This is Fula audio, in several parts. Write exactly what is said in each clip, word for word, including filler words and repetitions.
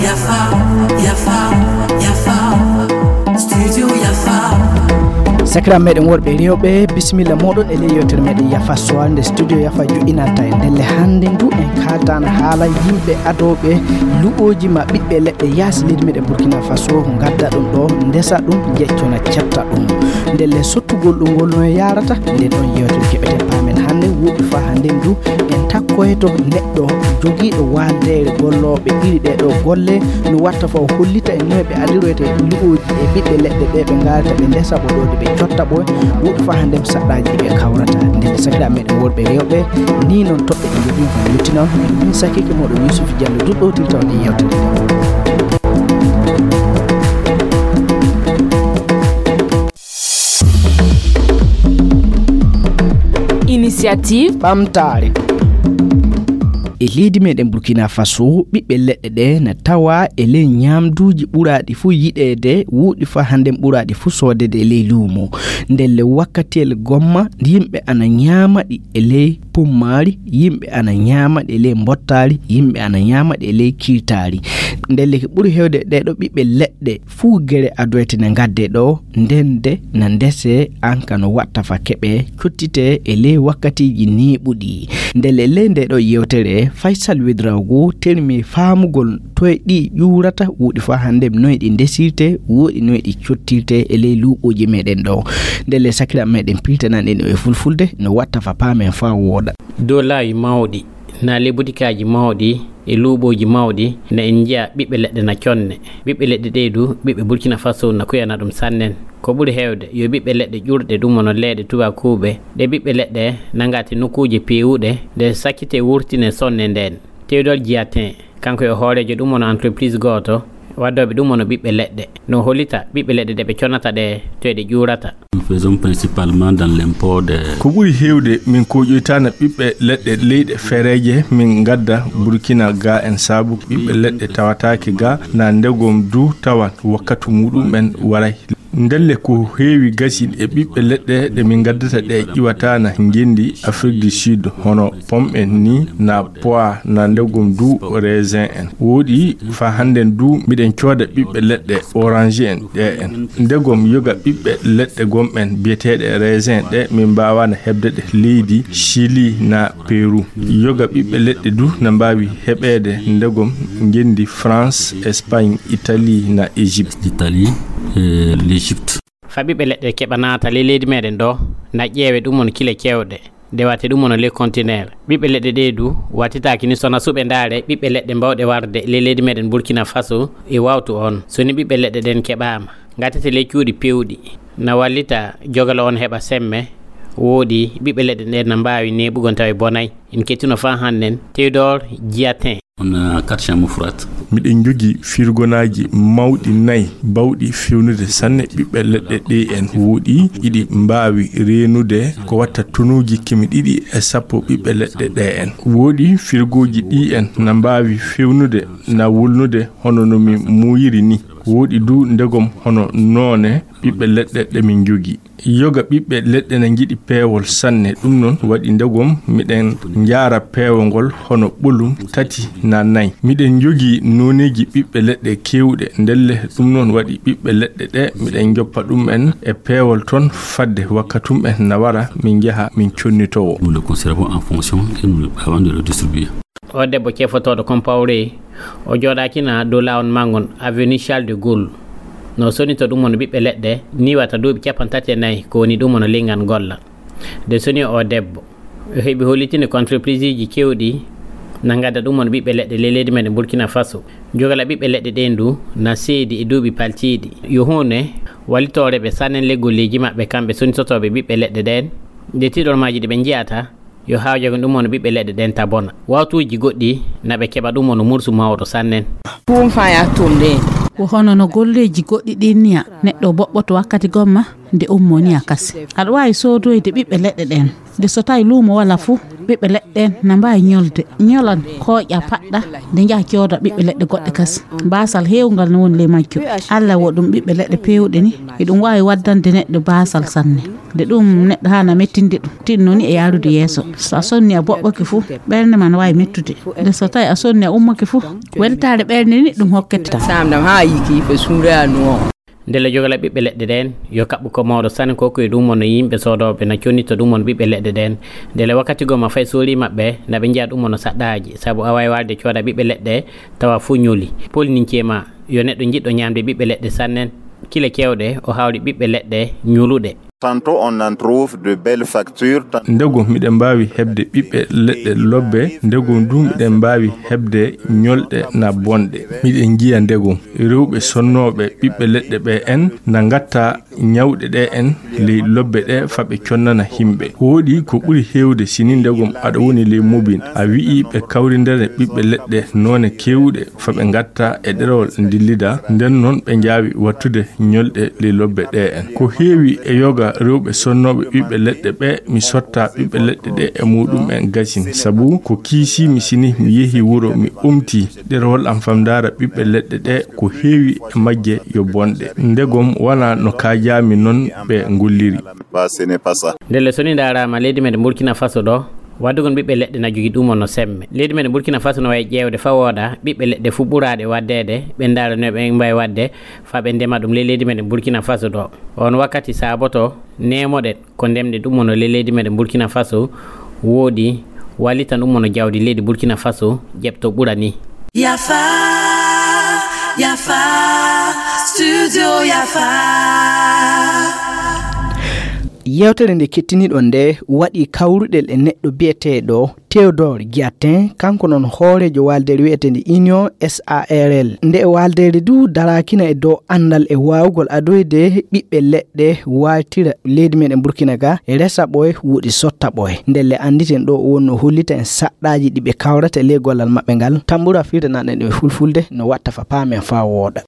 Yafa, yafa, yafa. Studio Yafa. Sakiraaɓe meɗen worɓe e rewɓe, bisimilla moɗon e ley yewtere meɗen Yafa Sowal, nde studio Yafa joɗɗinanta en. Ndelle hannde ndu en kaaldan haala yimɓe adooɓe luɓooji ma ɓiɓɓe leɗɗe yaasi leydi meɗen Burkina Faso, ngadda ɗum ɗo, ndesa ɗum, jeccona, cetta ɗum. Ndelle sottugol ɗum ngol no yarata, nden ɗon yewtere keɓeten paamen hannde, woɗɗi faa hannde ndu en takkoyto neɗɗo jogiiɗo waaldeere gollooɓe ɗiɗi ɗee ɗo golle, no watta faa o hollita en noy ɓe adiroyta e luɓooji e ɓiɓɓe leɗɗe ɗe ɓe ngarata ɓe ndesa ɓoɗoɗe ɓe cotta ɓoye, woɗɗi faa hannde saɗɗaaji ɗi ɓe kawrata. Nden sakiraaɓe meɗen worɓe e rewɓe, ni noon toɓɓe ɗe njogii ko luttino, min sakiike moɗon Yusuf Diallo duɗɗotirta on e yewtere nde. Initiative ɓamtaare. E leydi meɗen Burkina Faso, ɓiɓɓe leɗɗe ɗe na tawa e ley ñaamduuji ɓuraaɗi fuu yiɗeede, woɗɗi faa hannde ɓuraaɗi fuu soodeede e ley luumo. Ndelle wakkatiyel gomma, yimɓe ana ñaama ɗi e ley pummaari, yimɓe ana ñaama ɗi e ley mbottaari, yimɓe ana ñaama ɗi e ley kiirtaari. Ndelle ko ɓuri heewde ɗee ɗo ɓiɓɓe leɗɗe fuu gere adoyte ne ngadde ɗo, ndende na ndese, an ka no watta fa keɓe cottite e ley wakkatiiji neeɓuɗi. Ndelle ley nde ɗo yewtere, Faysal Wedraogo termi faamugol toye ɗi ƴuurata, woɗɗi faa hannde noye ɗi ndesirte, woɗɗi noye ɗi cottirte e ley luuɓooji meɗen ɗo. Ndelle sakiraaɓe meɗen piltanan en e fulfulde, no watta fa paamen faa wooɗa. Dow laawi mawɗi, na ley butikaaji mawɗi, e luuɓooji mawɗi, na en njiya ɓiɓɓe leɗɗe na conne. Ɓiɓɓe leɗɗe ɗee du, ɓiɓɓe Burkina Faso na kuyana ɗum sannen. Ko ɓuri heewde, yo ɓiɓɓe leɗɗe ƴuurɗe ɗum wano leeɗe tubakuuɓe. Ɗe ɓiɓɓe leɗɗe na ngati nokkuuje peewuɗe, nde sakkite wurtine sonne ndeen. Théodore Giatin, kanko yo hooreejo ɗum wano entreprise gooto, waddooɓe ɗum wano ɓiɓɓe leɗɗe. No hollita ɓiɓɓe leɗɗe ɗe ɓe conata ɗe, to e ɗe ƴuurata. Nous faisons principalement dans l'import des Ko ɓuri heewde, min koƴoytana ɓiɓɓe leɗɗe leyɗe fereeje, min ngadda Burkina ga en, sabu ɓiɓɓe leɗɗe tawataake ga, na ndegom du tawan wakkatu muɗum en waray. Ndelle ko heewi gasi e ɓiɓɓe leɗɗe ɗe min ngaddata ɗe ƴiwataana ngenndi Afrique du Sud, hono pomme en ni, na pois, na ndegom du raisin en. Woɗɗi fa hannden du miɗen cooda ɓiɓɓe leɗɗe orange en ɗe en. Ndegom yoga ɓiɓɓe leɗɗe gom en biyeteeɗe raisin ɗe min mbaawaana heɓde ɗe leydi Chili na Peru. Yoga ɓiɓɓe leɗɗe du na mbaawi heɓeede ndegom ngenndi France, Espagne, Italie na Égypte. L'Italie, euh, l'Égypte. Fa ɓiɓɓe leɗɗe keɓa naata ley leydi meɗen ɗo, na ƴeewe ɗum on kile cewɗe, dewate ɗum on ley kontineer. Ɓiɓɓe leɗɗe ɗe du, wattitaaki ni sona suɓe ndaare ɓiɓɓe leɗɗe mbawɗe warde ley leydi meɗen Burkina Faso e wawtu on. So ni ɓiɓɓe leɗɗe ɗen keɓaama, ngatete ley cuuɗi pewɗi, na wallita jogalo on heɓa semme, woɗɗi ɓiɓɓe leɗɗe ɗen na mbaawi neeɓugol tawi bonay. En kettino fa hannden, Théodore Giatin. On a quatre chambres froides. Miɗen njogii firgonaaji mawɗi nay, bawɗi fewnude sanne ɓiɓɓe leɗɗe ɗe en. Woɗɗi iɗi mbaawi reenude ko watta tonuuji kemi ɗiɗi e sappo ɓiɓɓe leɗɗe ɗe en. Woɗɗi firgooji ɗi en na mbaawi fewnude, na wulnude hono no mi muuyiri ni. Woɗɗi du ndegom hono noone ɓiɓɓe leɗɗe ɗe min njogii. Yoga ɓiɓɓe leɗɗe na njiɗi peewol sanne, ɗum noon waɗi ndegom miɗen njaara peewol ngol hono ɓolum tati na nay. Miɗen njogii nooneeji ɓiɓɓe leɗɗe keewɗe, ndelle ɗum noon waɗi ɓiɓɓe leɗɗe ɗe miɗen njoppa ɗum en e peewol toon fadde wakkatum en na wara min njaha min connitowo. Nous le conservons en fonction et nous, avant de le distribuer. O debbo cefotooɗo Compaoré, o jooɗaakina dow laawol manngon avenue Charles de Gaulle. No sonito ɗum woni ɓiɓɓe leɗɗe, ni wata duuɓi capanɗe tati e nayi, ko woni ɗum woni linngan golla. Nde soni o debbo, o heɓi hollitinde ko entrepriseeji keewɗi na ngadda ɗum woni ɓiɓɓe leɗɗe ley leydi meɗen Burkina Faso. Jogala ɓiɓɓe leɗɗe ɗen du na seedi e duuɓi paltiiɗi. Yo huune wallitore ɓe sannen ley golleeji maɓɓe kamɓe sonitotooɓe ɓiɓɓe leɗɗe ɗen. Nde tiiɗormaaji ɗi ɓe njiyata, yo haajo ko ɗum woni ɓiɓɓe leɗɗe ɗen ta bona. Wawtuuji goɗɗi na ɓe keɓa ɗum woni mursu mawɗo sannen. Ɗum faya tumde. Ko hono no golleeji goɗɗi ɗin niya, neɗɗo boɓɓoto wakkati gomma nde ummo niya kasi. Aɗa waawi soodoyde ɓiɓɓe leɗɗe ɗen. Nde so tawi luumo wala fuu, Ɓiɓɓe leɗɗe ɗen na mbaawi ñolde, ñolan, kooƴa, paɗɗa, nde njaha cooda ɓiɓɓe leɗɗe goɗɗe kas. Baasal heewungal no woni ley majjum. Alla wo ɗum ɓiɓɓe leɗɗe peewɗe ni, eɗum waawi waddande neɗɗo baasal sanne. Nde ɗum neɗɗo haana mettinde ɗum, tinno ni e yaarude yeeso. So a sonni a boɓɓoke fu, ɓernde ma no waawi mettude. Nde so tawi a sonni a ummoke fu, weltaare ɓernde ni ɗum hokkete. Samdam haa yiki fe suuɗa no. Ndele jogala ɓiɓɓe leɗɗe ɗen, yo kaɓɓu ko mawɗo sanne ko ko e ɗum on no yimɓe soodooɓe na connita ɗum on ɓiɓɓe leɗɗe ɗen. Ndele wakkati goo ma fay soori maɓɓe, na ɓe njiya ɗum on no saɗɗaaji, sabu a waawi waalde cooda ɓiɓɓe leɗɗe, tawa fuu ñoli. Polninkee ma, yo neɗɗo jiɗɗo ñaamde ɓiɓɓe leɗɗe sannen, kile keewɗe, o haawri ɓiɓɓe leɗɗe ñoluɗe. Tantôt on en trouve de belles factures, tan- Ndegom miɗen mbaawi heɓde ɓiɓɓe leɗɗe lobbe, ndegom du miɗen mbaawi heɓde ñolɗe na bonɗe. Miɗen njiya ndegom rewɓe sonnooɓe ɓiɓɓe leɗɗe ɓe en na ngatta ñawɗe ɗe en ley lobbe ɗe fa ɓe connana himɓe. Wooɗi ko ɓuri heewde sini ndegom aɗa woni ley mobin, a wi'i ɓe kawrindere ɓiɓɓe leɗɗe noone keewuɗe fa ɓe ngatta e ɗerewol ndillida, nden non ɓe njaawi wattude ñolɗe ley lobbe ɗe en. Ko heewi e yoga rewɓe sonnooɓe ɓiɓɓe leɗɗe ɓe, mi sotta ɓiɓɓe leɗɗe ɗe e muɗum en gasin, sabu ko kiisii mi sini mi yehi wuro mi umti ɗerewol am fam ndaara ɓiɓɓe leɗɗe ɗe ko heewi e majje yo bonɗe. Ndegom wanaa no kaajaami non ɓe ngolliri. Ndelle so ni ndaaraama leydi meɗen Burkina Faso ɗo, waddugol ɓiɓɓe leɗɗe na jogii ɗum on no semme. Leydi meɗen Burkina Faso no wayi ƴeewde faa wooda ɓiɓɓe leɗɗe fuu ɓuraaɗe waɗdeede, ɓe ndaara no ɓe mbaawi waɗde faa ɓe ndema ɗum ley leydi meɗen Burkina Faso ɗo. On wakkati saaboto neemoɗen ko ndemɗen ɗum on no ley leydi meɗen Burkina Faso wooɗi, wallitan ɗum on no jawdi leydi Burkina Faso ƴeɓto ɓura ni. Yafa, Yafa, Studio Yafa. Yewtere nde kettiniɗon nde waɗi kawruɗel e neɗɗo biyeteeɗo Théodore Giatin, kanko noon hooreejo waaldeere wiyeteende Union S A R L. Nde waaldeere du daraakina e dow anndal e waawugol adoyde ɓiɓɓe leɗɗe, waaltira leydi meɗen Burkina ga, resa ɓoye, woɗi sotta ɓoye. Ndelle annditen ɗo o wonno hollita en saɗɗaaji ɗi ɓe kawrata e ley gollal maɓɓe ngal. Tambura firtanaɗen ɗum e fulfulde no watta fa paamen fa wooɗa.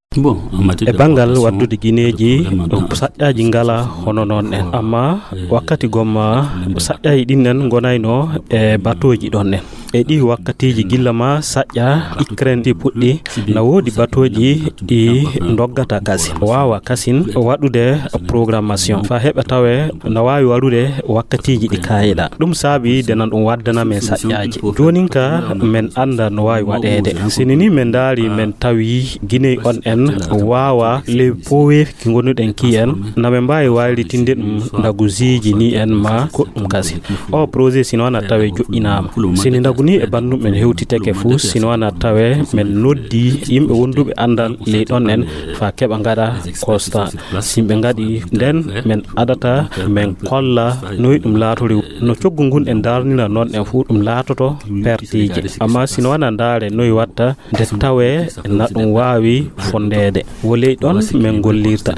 E banngal waddude gineeji, saƴƴaaji ngala hono noon en. Amma wakkati gomma, saƴƴaaji ɗin en ngonayno e batooji ɗon en. E ɗi wakkatiiji gilla ma saƴƴa, ikren ɗi puɗɗi, na woodi batooji ɗi ndoggata kasin. Waawa kasin waɗude programmation. Fa heɓa tawe na waawi waɗude wakkatiiji ɗi kaayiɗa. Ɗum saabi denan ɗum waddana men saƴƴaaji. Joonin ka men annda no waawi waɗeede. Sini ni men ndaari, men tawi Guinée on en waawa ley poweefi ki ngonuɗen ki en, na men mbaawi waylitinde ɗum ndagusiiji ni en ma goɗɗum kasi. O projet sino na tawe joƴƴinaama. Sini ndagu ni e banndum men hewtitake fuu, sino na tawe men noddi yimɓe wonduɓe anndal ley ɗon en fa keɓa ngaɗa constat. Si ɓe ngaɗi nden, men adata men kolla noy ɗum laatori. No coggu ngun en darnira noon en fuu ɗum laatoto pertiiji. Amma sino wana ndaare noy watta nde tawee na ɗum waawi fondeede. Wo ley ɗon men gollirta.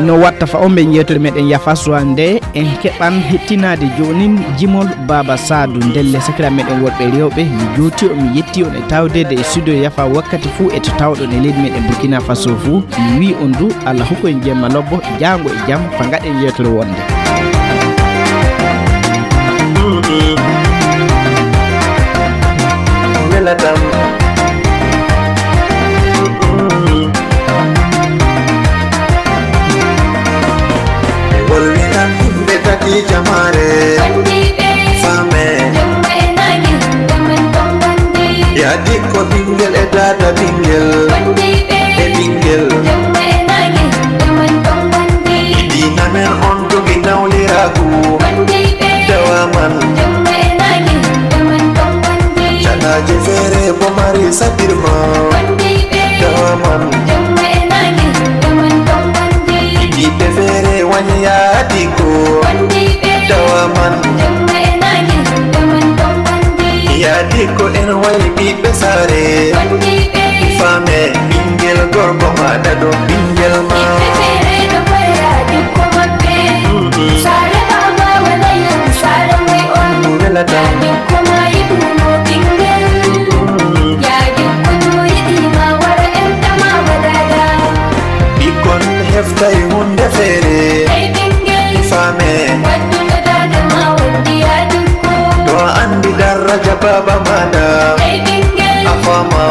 No watta fa on ɓe yeewtere meɗen Yafa Suwa nde en keɓan hettinaade joonin jimol Baaba Saadu. Ndelle sakiraaɓe meɗen worɓe e rewɓe, mi jooti on, mi yetti on e tawdeede e studio Yafa wakkati fuu e to tawɗon e leydi meɗen Burkina Faso fuu. Mi wii on du, Allah hokku en jemma lobbo, jaango e jam, fa ngaɗen yeewtere wonde. Welatam. Ɓe wolwinan yimɓe tati jamaare. Faame. Yaadi ko ɓinngel e daada ɓinngel. E ɓinngel. Diina men on jogi nawliraagu. Tawa man. Canaaje feere bo mari saɗirma. Tawa man. Ɓiɓɓe feere wani yaadi ko. Tawa man. Yaadi ko en wayi ɓiɓɓe saare. Faame ɓinngel gorko ma ɗaɗo ɓinngel ma. Ko welata. Ɓikkon Tawi hunde feere. Hey ɓingel. Mi faame. Wadduɗo daada ma waddi yaa dukko. To a andi daraja baaba maɗa. Hey ɓingel. A faama.